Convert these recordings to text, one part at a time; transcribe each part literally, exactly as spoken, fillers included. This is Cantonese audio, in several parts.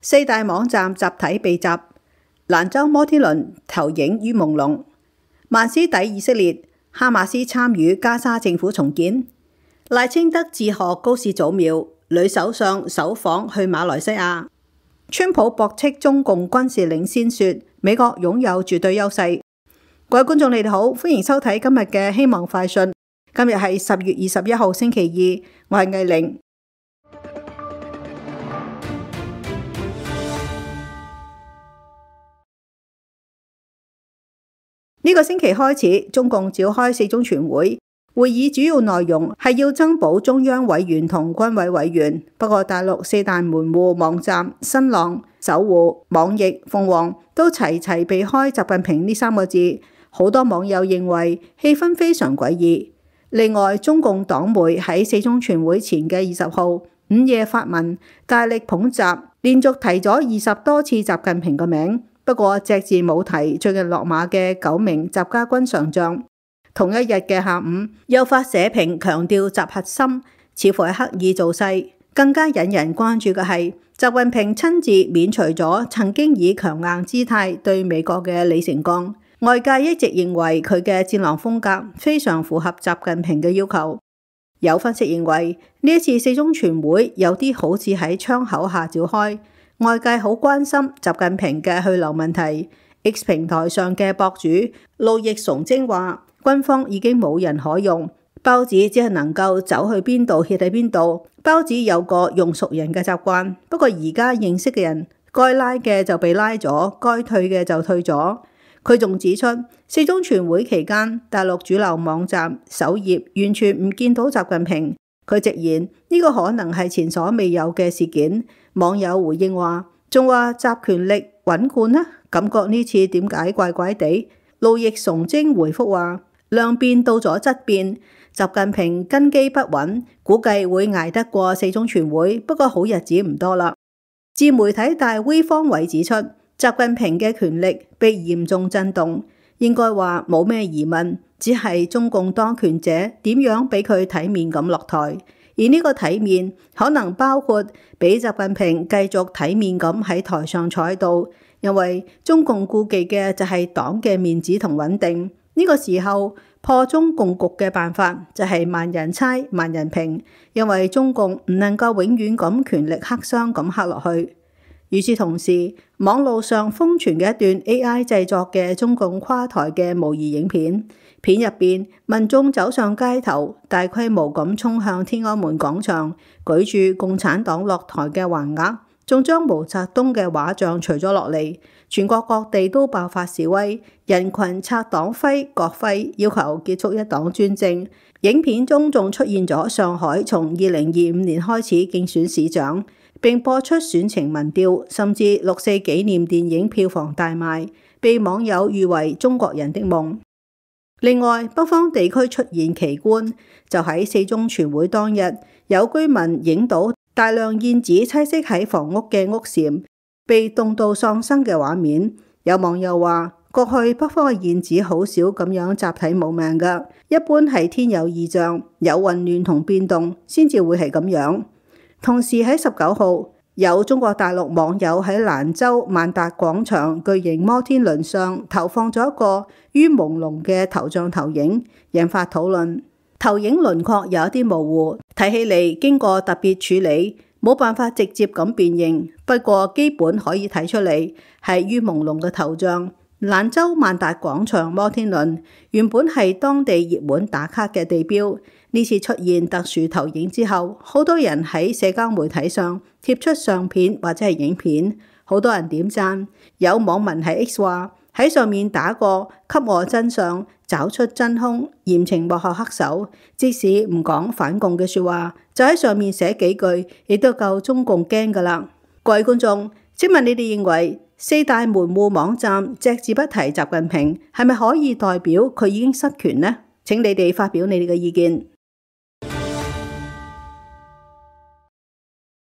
四大網站集體被襲，蘭州摩天輪投影於朦朧。曼斯底以色列，哈馬斯參與加沙政府重建。賴清德致賀高市早苗，女首相首訪去馬來西亞。川普駁斥中共軍事領先說美國擁有絕對優勢。各位觀眾你哋好，歡迎收睇今日嘅希望快訊。今日係十月二十一號星期二，我係藝玲。呢個星期開始，中共召開四中全會，會議主要內容係要增補中央委員同軍委委員。不過大陸四大門戶網站新浪、搜狐、網易、鳳凰都齊齊避開習近平呢三個字，好多網友認為氣氛非常詭異。另外，中共黨媒喺四中全會前嘅二十號午夜發文，大力捧習，連續提咗二十多次習近平嘅名。不過隻字冇提最近落馬嘅九名習家軍上將。同一日嘅下午又發社評強調習核心，似乎係刻意造勢。更加引人關注嘅係習近平親自免除咗曾經以強硬姿態對美國嘅李成鋼。外界一直認為佢嘅戰狼風格非常符合習近平嘅要求。有分析認為呢一次四中全會有啲好似喺窗口下召開。外界好關心習近平嘅去留問題。X 平台上嘅博主路易崇禎話，軍方已經冇人可用，包子只係能夠走去邊度歇喺邊度。包子有個用熟人嘅習慣，不過而家認識嘅人該拉嘅就被拉咗，該退嘅就退咗。佢仲指出，四中全會期間，大陸主流網站首頁完全唔見到習近平。佢直言呢個可能係前所未有嘅事件。網友回應話，仲話習權力穩固呢？感覺呢次點解怪怪地？路易崇禎回覆話，量變到咗質變，習近平根基不穩，估計會捱得過四中全會，不過好日子唔多啦。自媒體大 V 方偉指出，習近平嘅權力被嚴重震動，應該話冇咩疑問，只係中共當權者點樣俾佢體面咁落台。而呢個體面可能包括俾習近平繼續體面咁喺台上坐喺度，因為中共顧忌嘅就係黨嘅面子同穩定。呢、這個時候破中共局嘅辦法就係萬人猜萬人評，因為中共唔能夠永遠咁權力黑箱咁黑落去。與此同時，網路上瘋傳嘅一段 A I 製作嘅中共垮台嘅模擬影片，片入邊民眾走上街頭，大規模咁衝向天安門廣場，舉住共產黨落台嘅橫額，仲將毛澤東嘅畫像除咗落嚟。全國各地都爆發示威，人群拆黨徽國徽，要求結束一黨專政。影片中仲出現咗上海從二零二五年開始競選市長，並播出選情民調，甚至六四紀念電影票房大賣，被網友譽為中國人的夢。另外，北方地區出現奇觀，就喺四中全會當日，有居民影到大量燕子棲息喺房屋嘅屋檐被凍到喪生嘅畫面。有網友話，過去北方嘅燕子好少咁樣集體冇命㗎，一般係天有異象，有混亂同變動先至會係咁樣。同時喺十九號，有中國大陸網友喺蘭州萬達廣場巨型摩天輪上投放咗一個於朦朧嘅頭像投影，引發討論。投影輪廓有一啲模糊，睇起嚟經過特別處理，冇辦法直接咁辨認，不過基本可以睇出嚟係於朦朧嘅頭像。蘭州萬達廣場摩天輪原本係當地熱門打卡嘅地標，呢次出現特殊投影之後，好多人喺社交媒體上貼出相片或者係影片，好多人點讚。有網民喺 X 話，喺上面打個給我真相，找出真兇，嚴懲幕後黑手，即使唔講反共嘅說話，就喺上面寫幾句，亦都夠中共驚㗎喇。各位觀眾，請問你哋認為四大門戶網站隻字不提習近平，係咪可以代表佢已經失權呢？請你哋發表你哋嘅意見。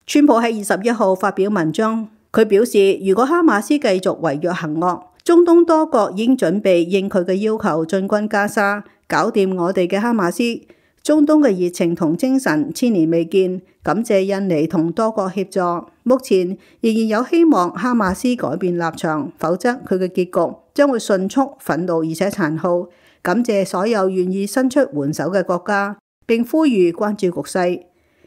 川普喺二十一號發表文章，佢表示如果哈馬斯繼續違約行惡，中東多國已經準備應佢嘅要求進軍加沙，搞掂我哋嘅哈馬斯。中東嘅熱情同精神千年未見，感謝印尼同多國協助。目前仍然有希望哈馬斯改變立場，否則佢嘅結局將會迅速、憤怒而且殘酷。感謝所有願意伸出援手嘅國家，並呼籲關注局勢。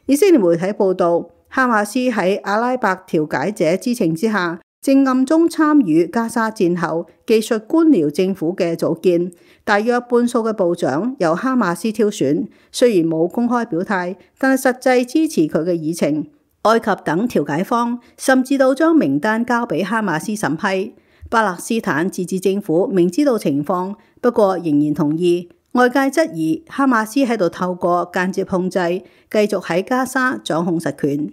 以色列媒體報道，哈馬斯喺阿拉伯調解者知情之下，正暗中參與加沙戰後技術官僚政府嘅組建，大約半數嘅部長由哈馬斯挑選。雖然冇公開表態，但係實際支持佢嘅議程。埃及等調解方甚至到將名單交俾哈馬斯審批。巴勒斯坦自治政府明知道情況，不過仍然同意。外界質疑哈馬斯喺度透過間接控制，繼續喺加沙掌控實權。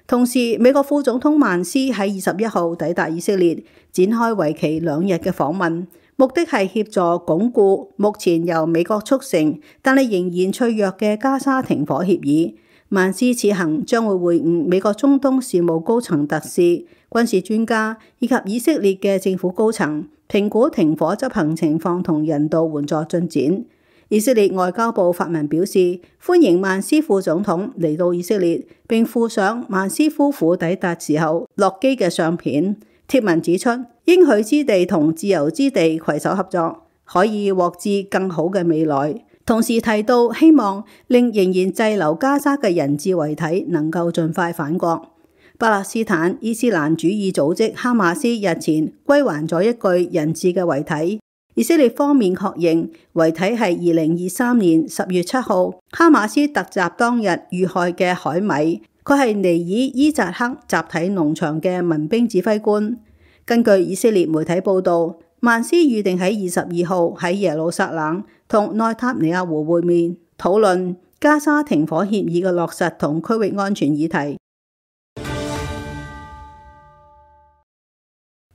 同時，美國副總統曼斯喺二十一號抵達以色列，展開為期兩日嘅訪問，目的係協助鞏固目前由美國促成但係仍然脆弱嘅加沙停火協議。曼斯此行將會會晤美國中東事務高層特使、軍事專家以及以色列嘅政府高層，評估停火執行情況同人道援助進展。以色列外交部發文表示，歡迎曼斯副總統嚟到以色列，並附上曼斯夫婦抵達時候落機嘅相片。貼文指出，應許之地同自由之地攜手合作，可以獲致更好嘅未來。同時提到希望令仍然滯留加沙嘅人質遺體能夠盡快返國。巴勒斯坦伊斯蘭主義組織哈馬斯日前歸還咗一具人質嘅遺體，以色列方面確認遺體係二零二三年十月七號哈馬斯突襲當日遇害嘅海米，佢係尼爾伊扎克集體農場嘅民兵指揮官。根據以色列媒體報導，曼斯預定喺二十二號喺耶路撒冷同內塔尼亞胡會面，討論加沙停火協議嘅落實同區域安全議題。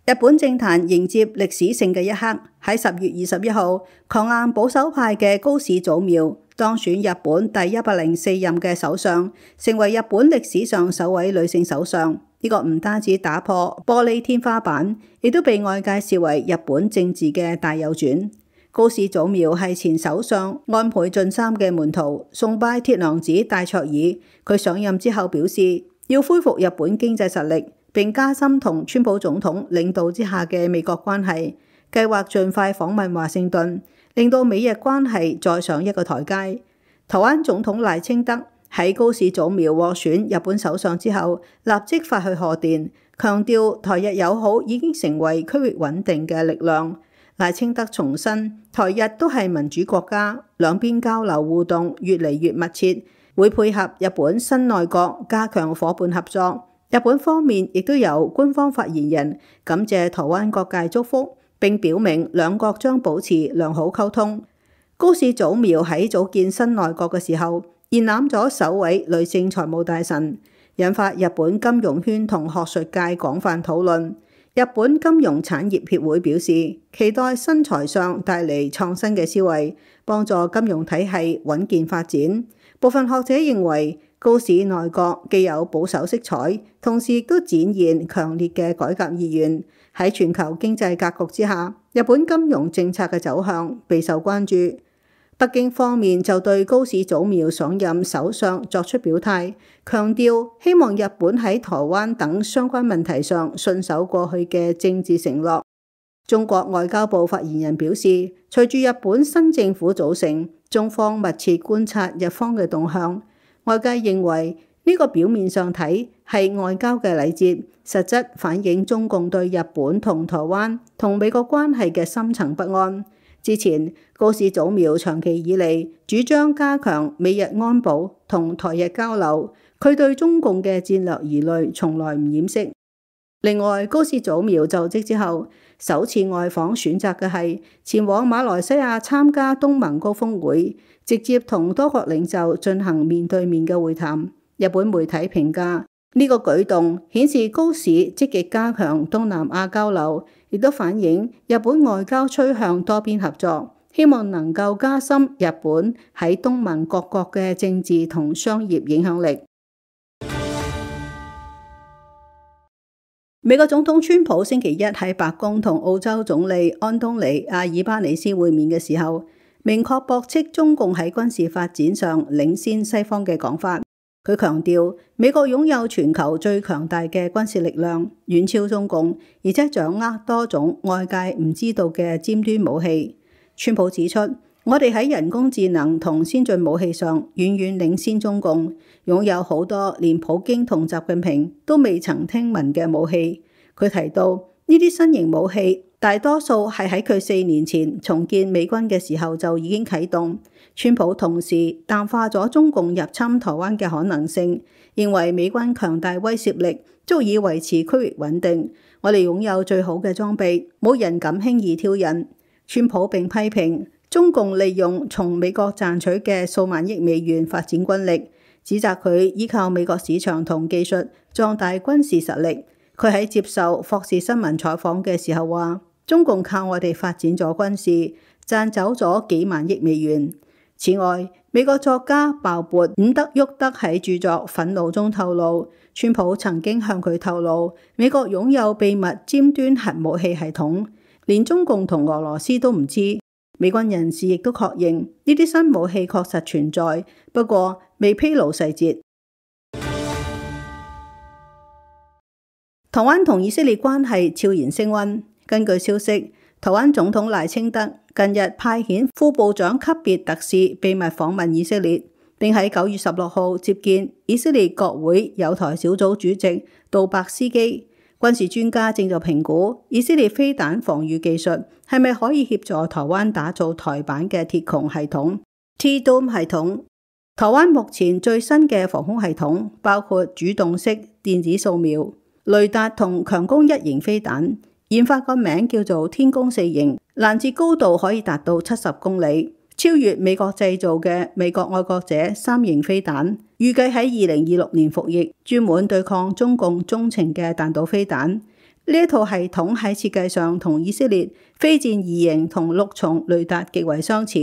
日本政壇迎接歷史性嘅一刻，喺十月二十一號，強硬保守派嘅高市早苗當選日本第一百零四任嘅首相，成為日本歷史上首位女性首相。呢、這個唔單止打破玻璃天花板，亦都被外界視為日本政治嘅大右轉。高市早苗係前首相安倍晉三嘅門徒，崇拜鐵娘子戴卓爾。佢上任之後表示，要恢復日本經濟實力，並加深同川普總統領導之下嘅美國關係，計劃盡快訪問華盛頓，令到美日關係再上一個台階。台灣總統賴清德喺高市早苗獲選日本首相之後，立即發去賀電，強調台日友好已經成為區域穩定嘅力量。賴清德重申，台日都係民主國家，兩邊交流互動越嚟越密切，會配合日本新內閣加強夥伴合作。日本方面亦都有官方發言人感謝台灣各界祝福，並表明兩國將保持良好溝通。高市早苗喺組建新內閣嘅時候，延攬咗首位女性財務大臣，引發日本金融圈同學術界廣泛討論。日本金融產業協會表示，期待新財相帶嚟創新嘅思維，幫助金融體系穩健發展。部分學者認為，高市內閣既有保守色彩，同時亦都展現強烈嘅改革意願。喺全球經濟格局之下，日本金融政策嘅走向備受關注。北京方面就對高市早苗上任首相作出表態，強調希望日本喺台灣等相關問題上信守過去嘅政治承諾。中國外交部發言人表示，隨住日本新政府組成，中方密切觀察日方嘅動向。外界認為呢個表面上睇係外交嘅禮節，實質反映中共對日本同台灣同美國關係嘅深層不安。之前高市早苗長期以嚟主張加強美日安保同台日交流，佢對中共嘅戰略疑慮從來唔掩飾。另外，高市早苗就職之後，首次外訪選擇嘅係前往馬來西亞參加東盟高峰會，直接同多國領袖進行面對面嘅會談。日本媒體評價呢個舉動顯示高市積極加強東南亞交流，亦都反映日本外交趨向多邊合作，希望能夠加深日本喺東盟各國嘅政治同商業影響力。美國總統川普星期一喺白宮同澳洲總理安東尼阿爾巴尼斯會面嘅時候，明確駁斥中共喺軍事發展上領先西方嘅講法。佢強調美國擁有全球最強大嘅軍事力量，遠超中共，而且掌握多種外界唔知道嘅尖端武器。川普指出，我哋喺人工智能同先進武器上遠遠領先中共，擁有好多連普京同習近平都未曾聽聞嘅武器。佢提到呢啲新型武器大多數係喺佢四年前重建美軍嘅時候就已經啟動。川普同時淡化咗中共入侵台灣嘅可能性，認為美軍強大威懾力足以維持區域穩定。我哋擁有最好嘅裝備，冇人敢輕易挑釁。川普並批評中共利用從美國賺取嘅數萬億美元發展軍力，指責佢依靠美國市場同技術壯大軍事實力。佢喺接受霍士新聞採訪嘅時候話，中共靠我哋發展咗軍事，賺走咗幾萬億美元。此外，美國作家鮑勃伍德沃德喺著作《憤怒》中透露，川普曾經向佢透露，美國擁有秘密尖端核武器系統，連中共同俄羅斯都唔知。美軍人士亦都確認呢啲新武器確實存在，不過未披露細節。台灣同以色列關係悄然升溫。根據消息，台灣總統賴清德近日派遣副部長級別特使秘密訪問以色列，並喺九月十六號接見以色列國會友台小組主席杜伯斯基。軍事專家正在評估以色列飛彈防禦技術係咪可以協助台灣打造台版嘅鐵穹系統 T-Dome 系統。台灣目前最新嘅防空系統包括主動式電子掃描、雷達同強攻一型飛彈，研發個名叫做天宮四型，攔截高度可以達到七十公里，超越美國製造嘅美國愛國者三型飛彈，預計喺二零二六年服役，專門對抗中共中程嘅彈道飛彈。呢一套系統喺設計上同以色列飛箭二型同六重雷達極為相似，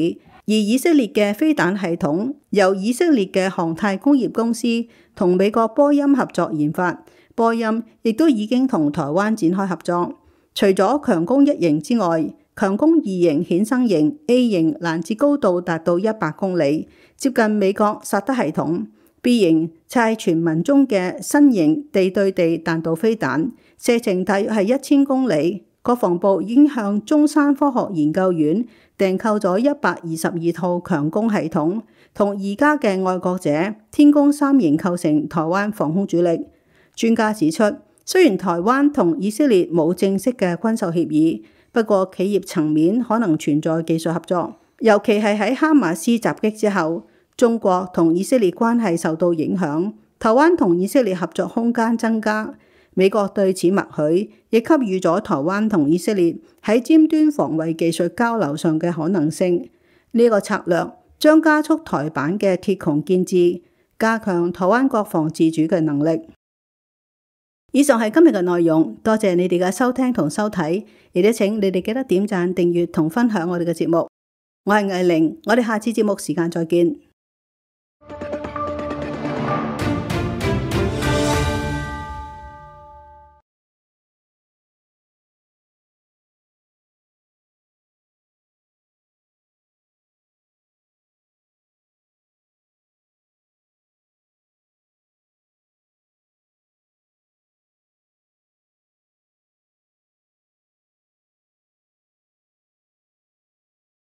而以色列嘅飛彈系統由以色列嘅航太工業公司同美國波音合作研發，波音亦都已經同台灣展開合作。除咗強攻一型之外，強攻二型衍生型 A 型攔截高度達到一百公里，接近美國薩德系統。B 型就係傳聞中嘅新型地對地彈道飛彈，射程大約係一千公里。國防部已經向中山科學研究院訂購咗一百二十二套強攻系統，同而家嘅愛國者天宮三型構成台灣防空主力。專家指出，雖然台灣同以色列冇正式嘅軍售協議，不過企業層面可能存在技術合作，尤其係喺哈馬斯襲擊之後，中國同以色列關係受到影響，台灣同以色列合作空間增加。美國對此默許，亦給予咗台灣同以色列喺尖端防衛技術交流上嘅可能性。呢、這個策略將加速台版嘅鐵穹建置，加強台灣國防自主嘅能力。以上係今日嘅內容，多謝你哋嘅收聽同收睇，亦都請你哋記得點讚、訂閱同分享我哋嘅節目。我係藝玲，我哋下次節目時間再見。